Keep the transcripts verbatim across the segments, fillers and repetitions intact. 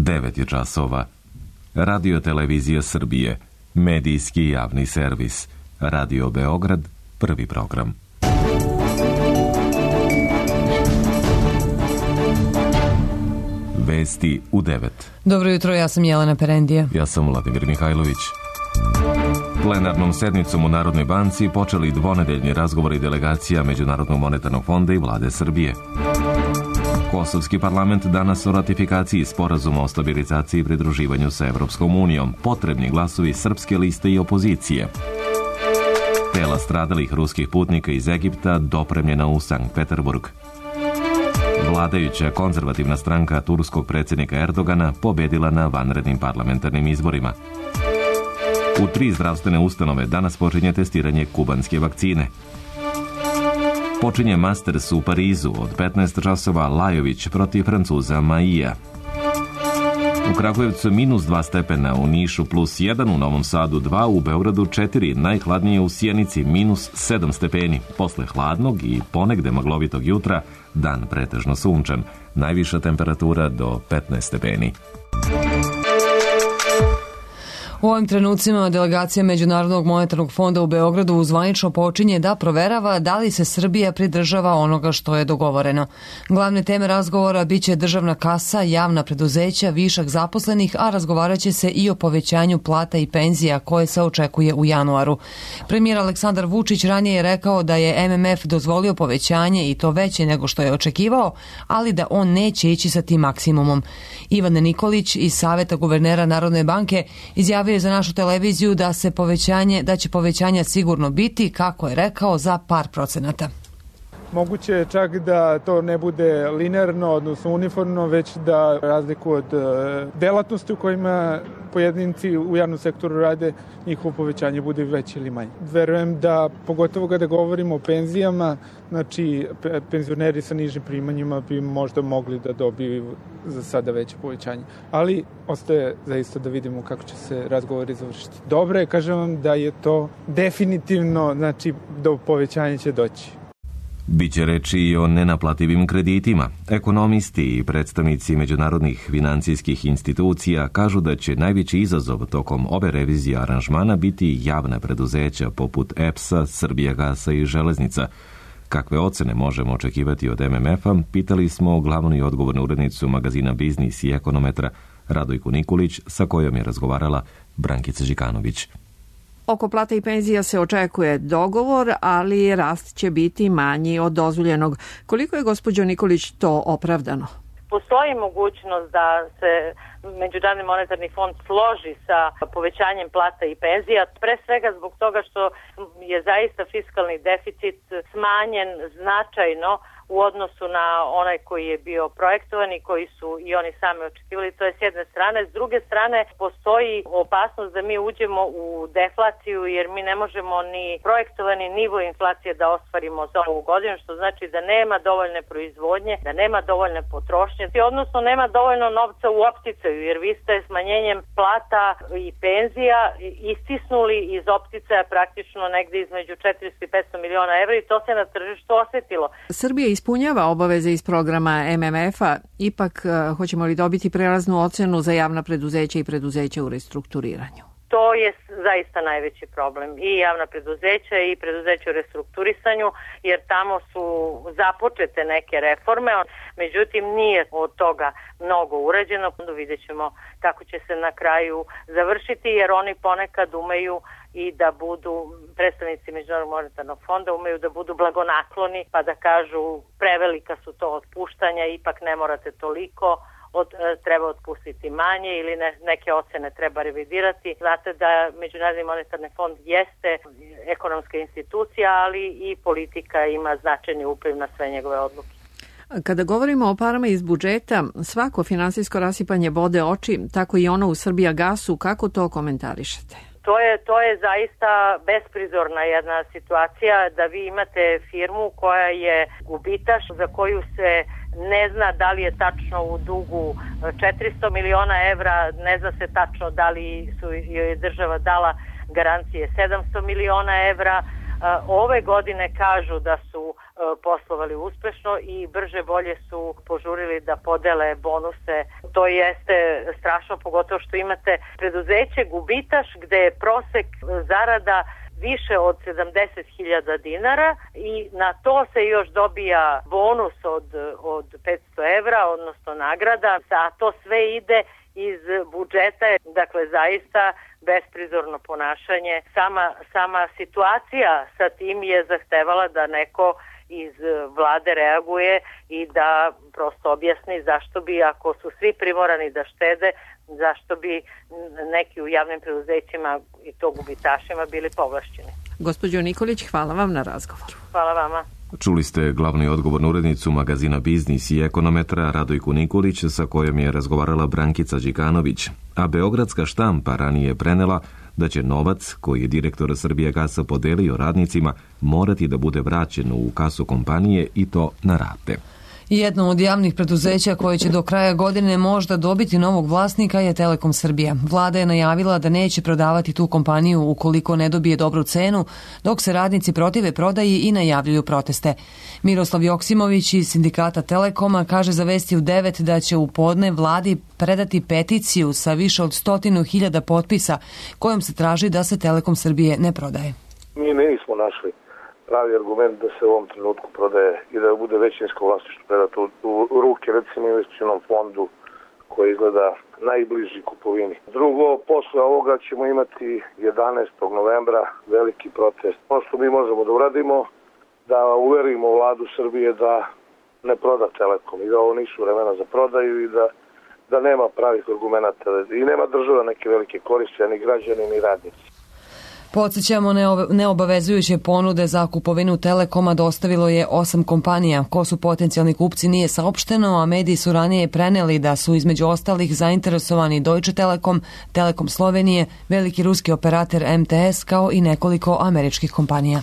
devet je časova. Radio Televizija Srbije, medijski javni servis. Radio Beograd, prvi program. Vesti u devet. Dobro jutro, ja sam Jelena Perendija. Ja sam Vladimir Mihajlović. Plenarnom sednicom u Narodnoj banci počeli dvonedeljni razgovori delegacija Međunarodnog monetarnog fonda i vlade Srbije. Kosovski parlament danas o ratifikaciji sporazuma o stabilizaciji i pridruživanju sa Evropskom unijom. Potrebni glasovi srpske liste i opozicije. Tela stradalih ruskih putnika iz Egipta dopremljena u Sankt Peterburg. Vladajuća konzervativna stranka turskog predsjednika Erdogana pobedila na vanrednim parlamentarnim izborima. U tri zdravstvene ustanove danas počinje testiranje kubanske vakcine. Počinje Masters u Parizu od petnaest časova Lajović protiv Francuza Maija. U Kragujevcu minus dva stepena, u Nišu plus jedan, u Novom Sadu dva, u Beogradu četiri, najhladnije u Sjenici minus sedam stepeni. Posle hladnog i ponegde maglovitog jutra, dan pretežno sunčan, najviša temperatura do petnaest stepeni. U ovim trenucima delegacija Međunarodnog monetarnog fonda u Beogradu zvanično počinje da proverava da li se Srbija pridržava onoga što je dogovoreno. Glavne teme razgovora biće državna kasa, javna preduzeća, višak zaposlenih, a razgovarat će se i o povećanju plata i penzija koje se očekuje u januaru. Premijer Aleksandar Vučić ranije je rekao da je M M F dozvolio povećanje i to veće nego što je očekivao, ali da on neće ići sa tim maksimumom. Ivan Nikolić iz Saveta guvernera Narodne banke izjavio je za našu televiziju da se povećanje, da će povećanja sigurno biti, kako je rekao, za par procenata. Moguće je čak da to ne bude linearno, odnosno uniformno, već da razliku od delatnosti u kojima pojedinci u javnom sektoru rade, njihovo povećanje bude veće ili manje. Verujem da, pogotovo kada govorimo o penzijama, znači penzioneri sa nižim primanjima bi možda mogli da dobiju za sada veće povećanje. Ali ostaje zaista da vidimo kako će se razgovori završiti. Dobro je, kažem vam, da je to definitivno, znači do povećanja će doći. Biće reči i o nenaplativim kreditima. Ekonomisti i predstavnici međunarodnih financijskih institucija kažu da će najveći izazov tokom ove revizije aranžmana biti javna preduzeća poput E P S-a, Srbijagasa i Železnica. Kakve ocene možemo očekivati od M M F-a, pitali smo glavnu i odgovornu urednicu magazina Biznis i Ekonometra Radojku Nikolić, sa kojom je razgovarala Brankica Žikanović. Oko plata i penzija se očekuje dogovor, ali rast će biti manji od dozvoljenog. Koliko je, gospođo Nikolić, to opravdano? Postoji mogućnost da se Međunarodni monetarni fond složi sa povećanjem plata i penzija, pre svega zbog toga što je zaista fiskalni deficit smanjen značajno u odnosu na onaj koji je bio projektovan i koji su i oni sami očekivali. To je s jedne strane. S druge strane, postoji opasnost da mi uđemo u deflaciju, jer mi ne možemo ni projektovani nivo inflacije da ostvarimo za ovu godinu, što znači da nema dovoljne proizvodnje, da nema dovoljne potrošnje, odnosno nema dovoljno novca u opticaju, jer vi ste smanjenjem plata i penzija istisnuli iz opticaja praktično negde između četiristo i petsto miliona evra i to se na tržištu osetilo. Srbija ispunjava obaveze iz programa M M F-a, ipak hoćemo li dobiti prelaznu ocenu za javna preduzeća i preduzeća u restrukturiranju? To je zaista najveći problem. I javna preduzeća i preduzeća u restrukturisanju, jer tamo su započete neke reforme, međutim nije od toga mnogo urađeno. Vidjet ćemo kako će se na kraju završiti, jer oni ponekad umeju i da budu, predstavnici Međunarodnog monetarnog fonda umeju da budu blagonakloni, pa da kažu prevelika su to otpuštanja, ipak ne morate toliko, Od, treba otpustiti manje ili ne, neke ocene treba revidirati. Znate da Međunarodni monetarni fond jeste ekonomska institucija, ali i politika ima značajni upliv na sve njegove odluke. Kada govorimo o parama iz budžeta, svako finansijsko rasipanje bode oči, tako i ono u Srbijagasu. Kako to komentarišete? To je, to je zaista besprizorna jedna situacija da vi imate firmu koja je gubitaš, za koju se ne zna da li je tačno u dugu četiristo miliona evra, ne zna se tačno da li su joj država dala garancije sedamsto miliona evra, ove godine kažu da su poslovali uspešno i brže bolje su požurili da podele bonuse. To jeste strašno, pogotovo što imate preduzeće gubitaš gde je prosek zarada više od sedamdeset hiljada dinara i na to se još dobija bonus od, od petsto evra, odnosno nagrada, a to sve ide iz budžeta, dakle zaista besprizorno ponašanje. Sama, sama situacija sa tim je zahtevala da neko iz vlade reaguje i da prosto objasni zašto bi, ako su svi primorani da štede, zašto bi neki u javnim preduzećima i to gubitašima bili povlašćeni. Gospođo Nikolić, hvala vam na razgovoru. Hvala vama. Čuli ste glavnu odgovornu urednicu magazina Biznis i ekonometra Radojku Nikolić, sa kojom je razgovarala Brankica Đikanović, a Beogradska štampa ranije prenela da će novac koji je direktor Srbijagasa podelio radnicima morati da bude vraćen u kasu kompanije i to na rate. Jedno od javnih preduzeća koje će do kraja godine možda dobiti novog vlasnika je Telekom Srbija. Vlada je najavila da neće prodavati tu kompaniju ukoliko ne dobije dobru cenu, dok se radnici protive prodaji i najavljuju proteste. Miroslav Joksimović iz sindikata Telekoma kaže za Vesti u devet da će u podne vladi predati peticiju sa više od stotinu hiljada potpisa kojom se traži da se Telekom Srbije ne prodaje. Mi nismo našli pravi argument da se u ovom trenutku prodaje i da bude većinsko vlasništvo predato u, u ruke, recimo investicionom fondu koji izgleda najbliži kupovini. Drugo, posle ovoga ćemo imati jedanaestog novembra veliki protest. Ono što mi možemo da uradimo, da uverimo vladu Srbije da ne proda Telekom i da ovo nisu vremena za prodaju i da, da nema pravih argumenta i nema država neke velike koriste, ni građani, ni radnici. Podsjećamo, neobavezujuće ponude za kupovinu Telekoma dostavilo je osam kompanija. Ko su potencijalni kupci nije saopšteno, a mediji su ranije preneli da su između ostalih zainteresovani Deutsche Telekom, Telekom Slovenije, veliki ruski operator M T S kao i nekoliko američkih kompanija.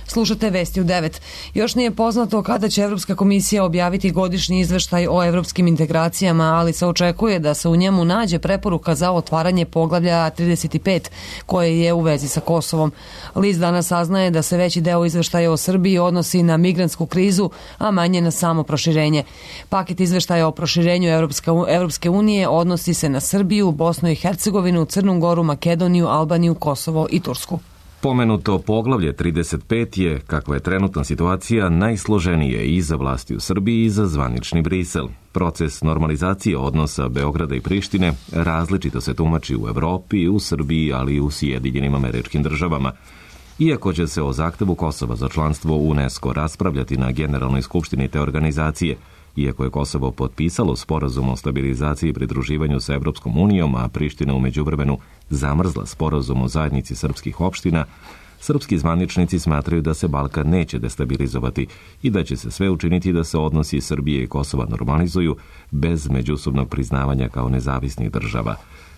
Slušate Vesti u devet. Još nije poznato kada će Evropska komisija objaviti godišnji izveštaj o evropskim integracijama, ali se očekuje da se u njemu nađe preporuka za otvaranje poglavlja trideset pet, koje je u vezi sa Kosovom. List danas saznaje da se veći deo izveštaja o Srbiji odnosi na migrantsku krizu, a manje na samo proširenje. Paket izveštaja o proširenju Evropska, Evropske unije odnosi se na Srbiju, Bosnu i Hercegovinu, Crnu Goru, Makedoniju, Albaniju, Kosovo i Tursku. Pomenuto poglavlje trideset pet je, kakva je trenutna situacija, najsloženije i za vlasti u Srbiji i za zvanični Brisel. Proces normalizacije odnosa Beograda i Prištine različito se tumači u Evropi, u Srbiji, ali i u Sjedinjenim Američkim Državama. Iako će se o zahtevu Kosova za članstvo u UNESCO raspravljati na Generalnoj skupštini te organizacije, iako je Kosovo potpisalo sporazum o stabilizaciji i pridruživanju sa Evropskom unijom, a Priština u međuvremenu zamrzla sporazum o zajednici srpskih opština, srpski zvaničnici smatraju da se Balkan neće destabilizovati i da će se sve učiniti da se odnosi Srbije i Kosova normalizuju bez međusobnog priznavanja kao nezavisnih država.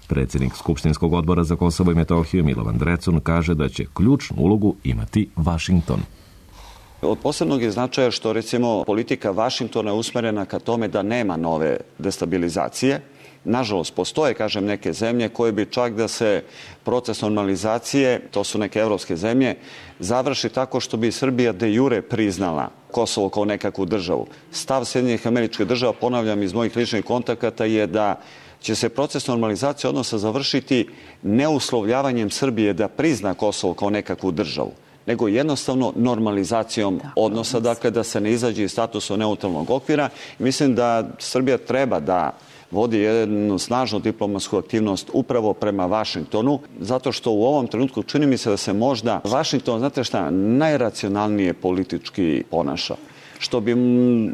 Predsjednik Skupštinskog odbora za Kosovo i Metohiju Milovan Drecun kaže da će ključnu ulogu imati Vašington. Od posebnog je značaja što, recimo, politika Vašingtona je usmerena ka tome da nema nove destabilizacije. Nažalost, postoje, kažem, neke zemlje koje bi čak da se proces normalizacije, to su neke evropske zemlje, završi tako što bi Srbija de jure priznala Kosovo kao nekakvu državu. Stav Sjedinjenih Američkih Država, ponavljam iz mojih ličnih kontakata, je da će se proces normalizacije odnosa završiti neuslovljavanjem Srbije da prizna Kosovo kao nekakvu državu, nego jednostavno normalizacijom odnosa, dakle da se ne izađe iz statusa neutralnog okvira. Mislim da Srbija treba da vodi jednu snažnu diplomatsku aktivnost upravo prema Vašingtonu, zato što u ovom trenutku čini mi se da se možda Vašington, znate šta, najracionalnije politički ponaša. Što bi,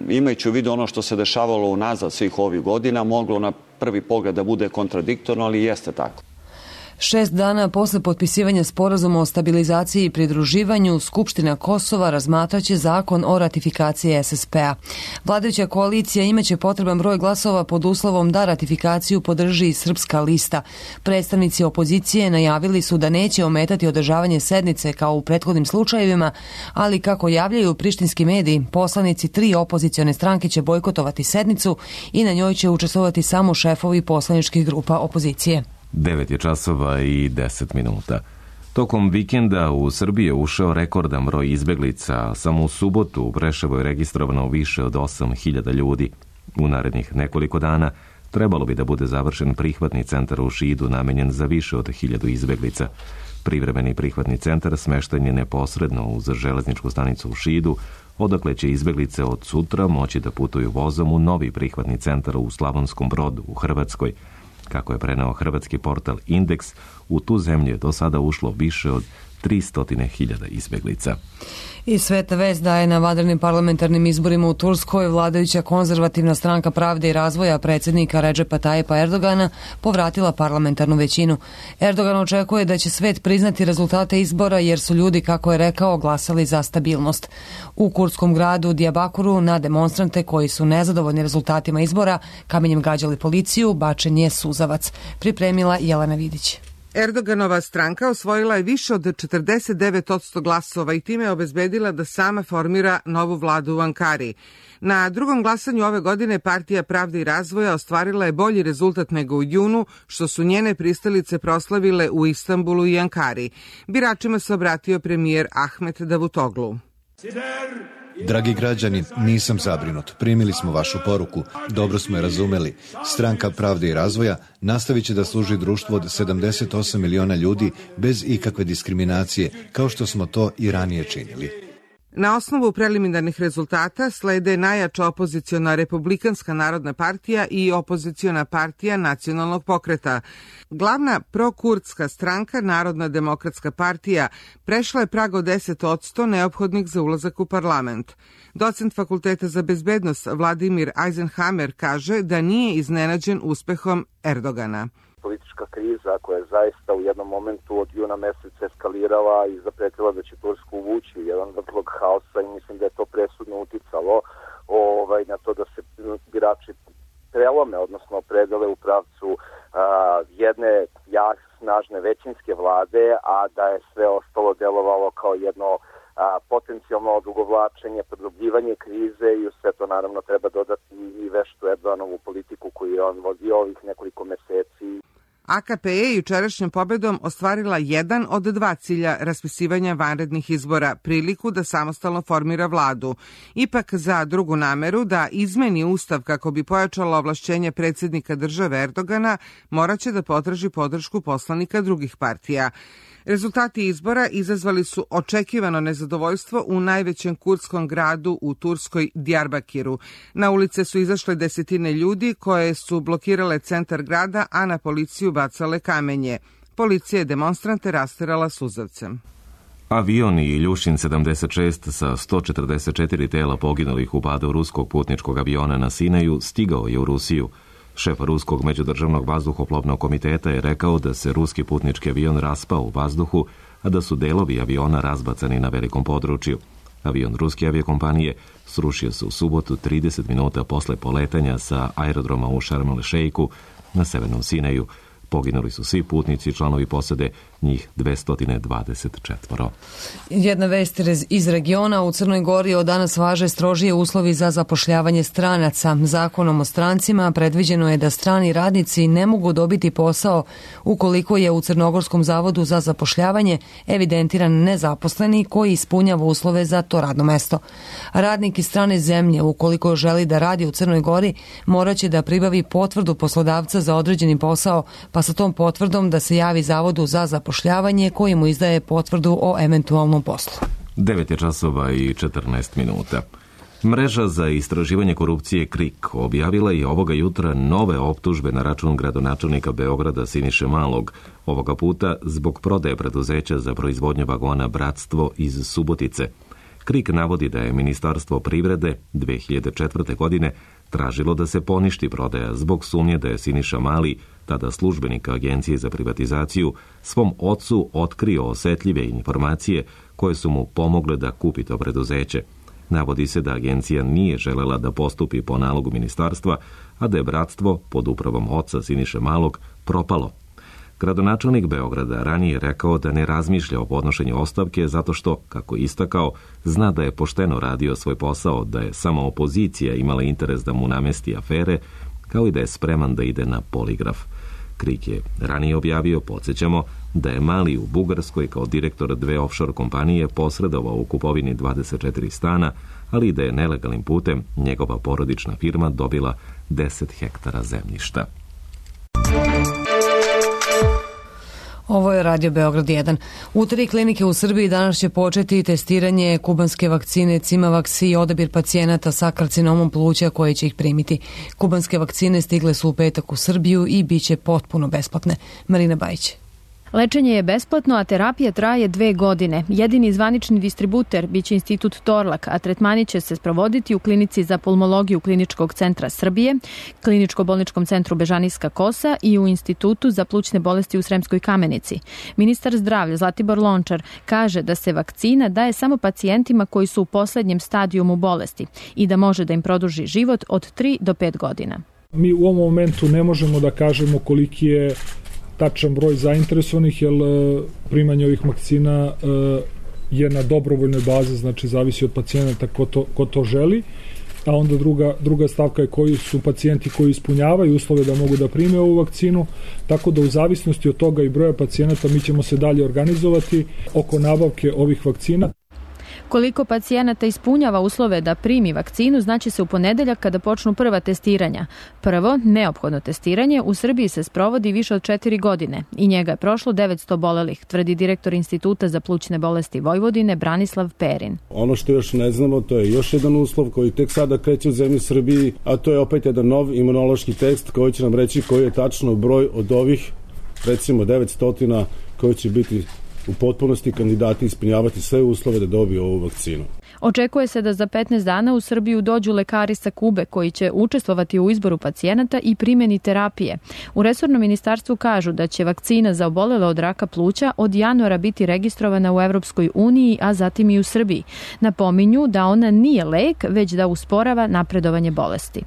imajući u vidu ono što se dešavalo unazad svih ovih godina, moglo na prvi pogled da bude kontradiktorno, ali jeste tako. Šest dana posle potpisivanja sporazuma o stabilizaciji i pridruživanju, Skupština Kosova razmatraće zakon o ratifikaciji S S P-a. Vladajuća koalicija imaće potreban broj glasova pod uslovom da ratifikaciju podrži i Srpska lista. Predstavnici opozicije najavili su da neće ometati održavanje sednice kao u prethodnim slučajevima, ali kako javljaju prištinski mediji, poslanici tri opozicione stranke će bojkotovati sednicu i na njoj će učestvovati samo šefovi poslaničkih grupa opozicije. Devet je časova i deset minuta. Tokom vikenda u Srbiji je ušao rekordan broj izbeglica. Samo u subotu u Preševu je registrovano više od osam hiljada ljudi. U narednih nekoliko dana trebalo bi da bude završen prihvatni centar u Šidu namenjen za više od hiljadu izbeglica. Privremeni prihvatni centar smešten je neposredno uz železničku stanicu u Šidu, odakle će izbeglice od sutra moći da putuju vozom u novi prihvatni centar u Slavonskom Brodu u Hrvatskoj. Kako je preneo hrvatski portal Indeks, u tu zemlju je do sada ušlo više od tristo hiljada izbeglica. I Sveta vest daje na vanrednim parlamentarnim izborima u Turskoj vladajuća konzervativna stranka Pravde i razvoja predsjednika Redžepa Tajipa Erdogana povratila parlamentarnu većinu. Erdogan očekuje da će svet priznati rezultate izbora jer su ljudi, kako je rekao, glasali za stabilnost. U kurdskom gradu Diyarbakuru na demonstrante koji su nezadovoljni rezultatima izbora kamenjem gađali policiju bačen je suzavac. Pripremila Jelena Vidić. Erdoganova stranka osvojila je više od četrdeset devet posto glasova i time je obezbedila da sama formira novu vladu u Ankari. Na drugom glasanju ove godine Partija Pravde i razvoja ostvarila je bolji rezultat nego u junu, što su njene pristalice proslavile u Istanbulu i Ankari. Biračima se obratio premijer Ahmet Davutoglu. Dragi građani, nisam zabrinut. Primili smo vašu poruku, dobro smo je razumeli. Stranka Pravde i razvoja nastavit će da služi društvu od sedamdeset osam miliona ljudi bez ikakve diskriminacije, kao što smo to i ranije činili. Na osnovu preliminarnih rezultata slede najjača opoziciona Republikanska narodna partija i opoziciona partija Nacionalnog pokreta. Glavna prokurdska stranka, Narodna demokratska partija, prešla je prag od deset posto neophodnih za ulazak u parlament. Docent Fakulteta za bezbednost Vladimir Eisenhammer kaže da nije iznenađen uspehom Erdogana. Politička kriza koja je zaista u jednom momentu od juna meseca eskalirala i zapretila da će Tursku uvući u jedan vrtlog haosa i mislim da je to presudno uticalo ovaj, na to da se birači prelome, odnosno predale u pravcu a, jedne jak, snažne većinske vlade, a da je sve ostalo delovalo kao jedno a, potencijalno odugovlačenje, produbljivanje krize i u sve to naravno treba dodati i veštu Erdoganovu politiku koju je on vodio ovih nekoliko meseci. A K P je jučerašnjom pobedom ostvarila jedan od dva cilja raspisivanja vanrednih izbora, priliku da samostalno formira vladu. Ipak za drugu nameru da izmeni ustav kako bi pojačala ovlašćenje predsjednika države Erdogana, moraće da potraži podršku poslanika drugih partija. Rezultati izbora izazvali su očekivano nezadovoljstvo u najvećem kurdskom gradu u Turskoj Diyarbakiru. Na ulice su izašle desetine ljudi koje su blokirale centar grada, a na policiju bacale kamenje. Policija je demonstrante rasterala suzavcem. Avion i Iljušin sedamdeset šest sa sto četrdeset četiri tela poginulih u padu ruskog putničkog aviona na Sinaju stigao je u Rusiju. Šef Ruskog međudržavnog vazduhoplovnog komiteta je rekao da se ruski putnički avion raspao u vazduhu, a da su delovi aviona razbacani na velikom području. Avion ruske aviokompanije srušio se u subotu trideset minuta posle poletanja sa aerodroma u Šarm el Šejku na severnom Sinaju. Poginuli su svi putnici i članovi posade, njih dvesta dvadeset četiri. Jedna vest iz regiona. U Crnoj Gori od danas važe strožije uslovi za zapošljavanje stranaca. Zakonom o strancima predviđeno je da strani radnici ne mogu dobiti posao ukoliko je u Crnogorskom zavodu za zapošljavanje evidentiran nezaposleni koji ispunjava uslove za to radno mesto. Radnik iz strane zemlje, ukoliko želi da radi u Crnoj Gori, moraće da pribavi potvrdu poslodavca za određeni posao, pa sa tom potvrdom da se javi Zavodu za zapošljavanje koji mu izdaje potvrdu o eventualnom poslu. devet je časova i četrnaest minuta. Mreža za istraživanje korupcije KRIK objavila je ovoga jutra nove optužbe na račun gradonačelnika Beograda Siniše Malog, ovoga puta zbog prodaje preduzeća za proizvodnju vagona Bratstvo iz Subotice. KRIK navodi da je Ministarstvo privrede dve hiljade četvrte. godine tražilo da se poništi prodaja zbog sumnje da je Siniša Mali, tada službenik Agencije za privatizaciju, svom ocu otkrio osetljive informacije koje su mu pomogle da kupi to preduzeće. Navodi se da agencija nije želela da postupi po nalogu ministarstva, a da je Bratstvo pod upravom oca Siniše Malog propalo. Gradonačelnik Beograda ranije rekao da ne razmišlja o podnošenju ostavke zato što, kako je istakao, zna da je pošteno radio svoj posao, da je samo opozicija imala interes da mu namesti afere, kao i da je spreman da ide na poligraf. KRIK je ranije objavio, podsjećamo, da je Mali u Bugarskoj kao direktor dve offshore kompanije posredovao u kupovini dvadeset četiri stana, ali i da je nelegalnim putem njegova porodična firma dobila deset hektara zemljišta. Ovo je Radio Beograd jedan. U tri klinike u Srbiji danas će početi testiranje kubanske vakcine Cimavax i odabir pacijenata sa karcinomom pluća koji će ih primiti. Kubanske vakcine stigle su u petak u Srbiju i bit će potpuno besplatne. Marina Bajić. Lečenje je besplatno, a terapija traje dve godine. Jedini zvanični distributer biće Institut Torlak, a tretmani će se sprovoditi u klinici za pulmologiju Kliničkog centra Srbije, Kliničko-bolničkom centru Bežanijska Kosa i u Institutu za plućne bolesti u Sremskoj Kamenici. Ministar zdravlja Zlatibor Lončar kaže da se vakcina daje samo pacijentima koji su u poslednjem stadijumu bolesti i da može da im produži život od tri do pet godina. Mi u ovom momentu ne možemo da kažemo koliki je tačan broj zainteresovanih, jer primanje ovih vakcina je na dobrovoljnoj bazi, znači zavisi od pacijenata ko to, ko to želi, a onda druga, druga stavka je koji su pacijenti koji ispunjavaju uslove da mogu da prime ovu vakcinu, tako da u zavisnosti od toga i broja pacijenata mi ćemo se dalje organizovati oko nabavke ovih vakcina. Koliko pacijenata ispunjava uslove da primi vakcinu znaće se u ponedeljak kada počnu prva testiranja. Prvo, neophodno testiranje u Srbiji se sprovodi više od četiri godine i njega je prošlo devetsto obolelih, tvrdi direktor Instituta za plućne bolesti Vojvodine Branislav Perin. Ono što još ne znamo, to je još jedan uslov koji tek sada kreće u zemlji Srbiji, a to je opet jedan nov imunološki test koji će nam reći koji je tačno broj od ovih, recimo devetsto koji će biti u potpunosti kandidati ispunjavati sve uslove da dobiju ovu vakcinu. Očekuje se da za petnaest dana u Srbiju dođu lekari sa Kube koji će učestvovati u izboru pacijenata i primjeni terapije. U resornom ministarstvu kažu da će vakcina za obolele od raka pluća od januara biti registrovana u Evropskoj uniji, a zatim i u Srbiji. Napominju da ona nije lek, već da usporava napredovanje bolesti.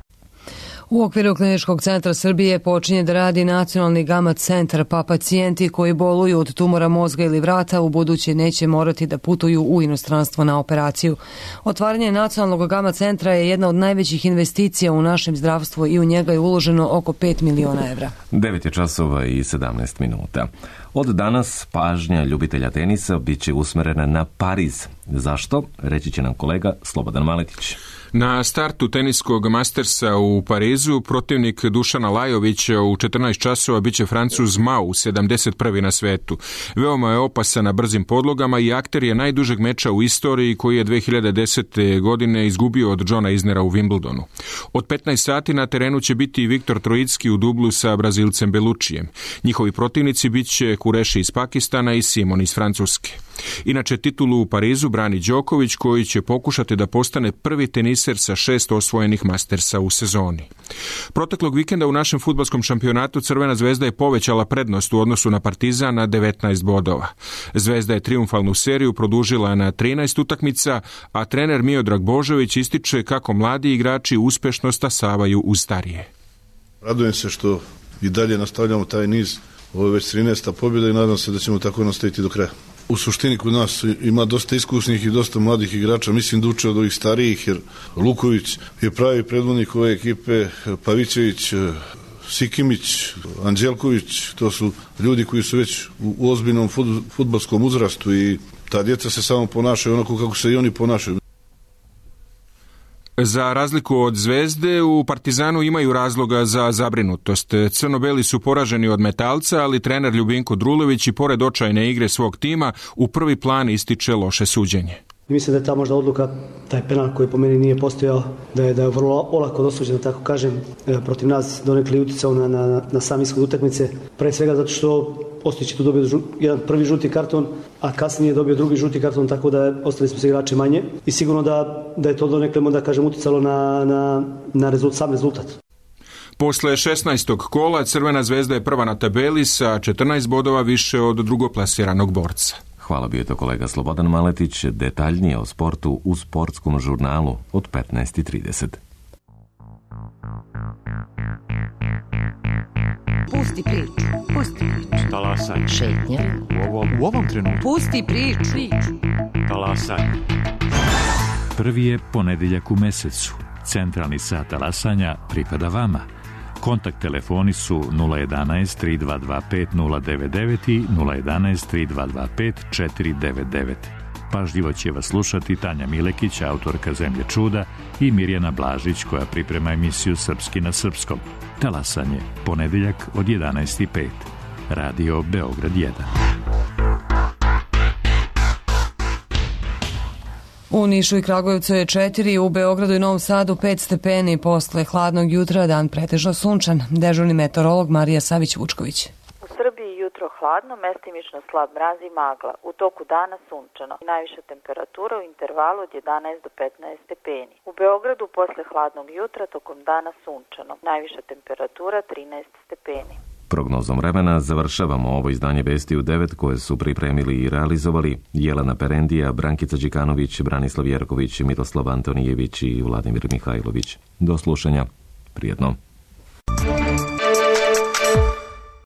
U okviru Kliničkog centra Srbije počinje da radi nacionalni gama centar, pa pacijenti koji boluju od tumora mozga ili vrata u buduće neće morati da putuju u inostranstvo na operaciju. Otvaranje nacionalnog gama centra je jedna od najvećih investicija u našem zdravstvu i u njega je uloženo oko pet miliona evra. devet je časova i sedamnaest minuta. Od danas pažnja ljubitelja tenisa bit će usmerena na Pariz. Zašto? Reći će nam kolega Slobodan Maletić. Na startu teniskog Mastersa u Parizu protivnik Dušana Lajovića u četrnaest časova biće Francuz Mau, sedamdeset prvi na svetu. Veoma je opasan na brzim podlogama i akter je najdužeg meča u istoriji koji je dve hiljade desete. godine izgubio od Johna Isnera u Wimbledonu. Od petnaest sati na terenu će biti Viktor Trojicki u dublu sa Brazilcem Belučijem. Njihovi protivnici biće Kureši iz Pakistana i Simon iz Francuske. Inače, titulu u Parizu brani Đoković koji će pokušati da postane prvi teniser sa šest osvojenih Mastersa u sezoni. Proteklog vikenda u našem fudbalskom šampionatu Crvena zvezda je povećala prednost u odnosu na Partizan na devetnaest bodova. Zvezda je triumfalnu seriju produžila na trinaest utakmica, a trener Miodrag Božović ističe kako mladi igrači uspešno stasavaju uz starije. Radujem se što i dalje nastavljamo taj niz. Ovo je već trinaesta pobjeda i nadam se da ćemo tako nastaviti do kraja. U suštini kod nas ima dosta iskusnih i dosta mladih igrača, mislim da uče od ovih starijih, jer Luković je pravi predvodnik ove ekipe, Pavićević, Sikimić, Anđelković, to su ljudi koji su već u ozbiljnom fudbalskom uzrastu i ta djeca se samo ponašaju onako kako se i oni ponašaju. Za razliku od Zvezde, u Partizanu imaju razloga za zabrinutost. Crno-beli su poraženi od Metalca, ali trener Ljubinko Drulović i pored očajne igre svog tima u prvi plan ističe loše suđenje. Mislim da je ta možda odluka, taj penal koji po meni nije postojao, da je, da je vrlo olako dosuđen, da tako kažem, protiv nas donekle uticao na, na, na sam ishod utakmice. Pre svega zato što Ostojić je tu dobio jedan prvi žuti karton, a kasnije je dobio drugi žuti karton, tako da ostali smo se igrači manje. I sigurno da, da je to donekle, da kažem, uticalo na, na, na rezult, sam rezultat. Posle šesnaestog kola Crvena zvezda je prva na tabeli sa četrnaest bodova više od drugoplasiranog borca. Hvala, bio to kolega Slobodan Maletić. Detaljnije o sportu u sportskom žurnalu od petnaest i trideset. Pusti priču, pusti priču. Talasaj. Šetnja. U ovom, u ovom trenutku. Pusti priču. Talasaj. Prvi je ponedeljak u mesecu. Centralni sat talasanja pripada vama. Kontakt telefoni su nula jedanaest tri dva dva pet nula devet devet i nula jedanaest tri dva dva pet četiri devet devet. Pažljivo će vas slušati Tanja Milekić, autorka Zemlje čuda, i Mirjana Blažić, koja priprema emisiju Srpski na srpskom. Talasanje, ponedeljak od jedanaest i pet. Radio Beograd jedan. U Nišu i Kragujevcu je četiri, u Beogradu i Novom Sadu pet stepeni. Posle hladnog jutra dan pretežno sunčan. Dežurni meteorolog Marija Savić-Vučković. U Srbiji jutro hladno, mestimično slab mraz i magla. U toku dana sunčano. Najviša temperatura u intervalu od jedanaest do petnaest stepeni. U Beogradu posle hladnog jutra tokom dana sunčano. Najviša temperatura trinaest stepeni. Prognozom vremena završavamo ovo izdanje Vesti u devet koje su pripremili i realizovali Jelena Perendija, Brankica Đikanović, Branislav Jerković, Miroslav Antonijević i Vladimir Mihajlović. Do slušanja. Prijetno.